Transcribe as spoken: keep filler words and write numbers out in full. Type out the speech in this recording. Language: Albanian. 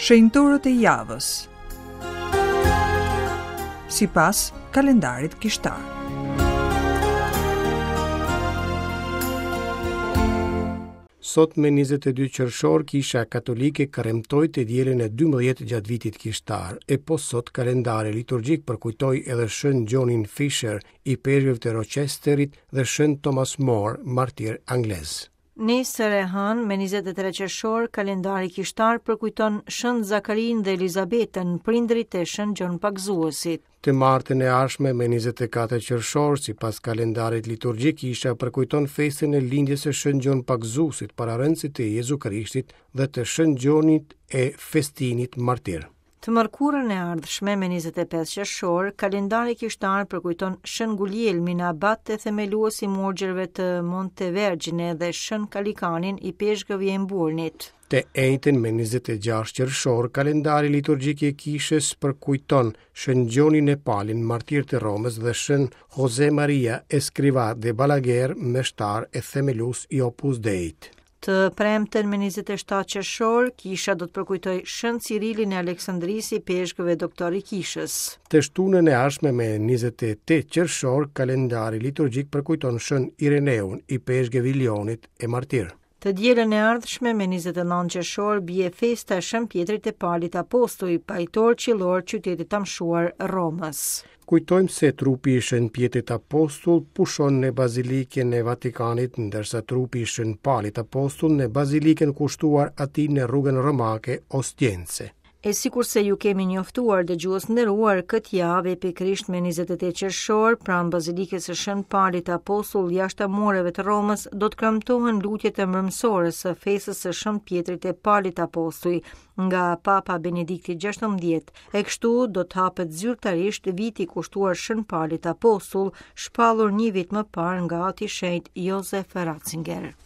Shenjtorët e javës sipas kalendarit kishtar. Sot me njëzet e dy qershor, Kisha Katolike kremtoi të dielën e dymbëdhjetë gjatë vitit kishtar, e po sot kalendari liturgjik përkujtoi edhe Shën Gjonin Fisher, i peshkëve të Rochesterit, dhe Shën Thomas More, martir anglez. Nesër e hënë, me njëzet e tre qershor, kalendari kishtar përkujton Shën Zakarin dhe Elizabetën, prindrit e Shën Gjon Pagëzuesit. Të martën e ardhshme me njëzet e katër qershor, sipas kalendarit liturgjik, kisha përkujton festën e lindjes së Shën Gjon Pagëzuesit, pararendësit të Jezu Krishtit dhe të Shën Gjonit e Festinit martir. Të mërkurën e ardhshme me njëzet e pesë qershor, kalendari kishtar përkujton Shën Guglielmin, abat e themelues i murgjërve të Montevergine dhe Shën Kalikanin, i peshkëv i Emburnit. Të enjten me njëzet e gjashtë qershor, kalendari liturgjik i kishës përkujton Shën Gjonin e Palin, martir të Romës, dhe Shën Jose Maria Escrivá de Balaguer, meshtar e themelues i Opus Deit. Të premten me njëzet e shtatë qershor, kisha do të përkujtoj Shën Cirilin e Aleksandrisë, i peshkëve doktor i kishës. Të shtunën e ardhshme me njëzet e tetë qershor, kalendari liturgjik përkujton Shën Ireneun, i peshkëv i Lionit e martir. Të dielën e ardhshme me njëzet e nëntë qershor bie festa e Shën Pjetrit e Palit Apostull, pajtor qillor qytetit të amshuar Romës. Kujtojmë se trupi i Shën Pjetrit Apostull pushon në Bazilikën e Vatikanit, ndërsa trupi i Shën Palit Apostull në Bazilikën kushtuar atij në rrugën romake Ostiense. E sikurse ju kemi njoftuar dëgjues nderuar, këtë javë e pikërisht me njëzet e tetë qershor, pranë Bazilikës së Shën Palit Apostull jashtë mureve të Romës, do të kremtohen lutjet e mbrëmsores së festës së Shën Pjetrit e Palit Apostull nga Papa Benedikti gjashtëmbëdhjetë, e kështu do të hapet zyrtarisht viti kushtuar Shën Palit Apostull, shpallur një vit më parë nga Ati Shenjt Josef Ratzinger.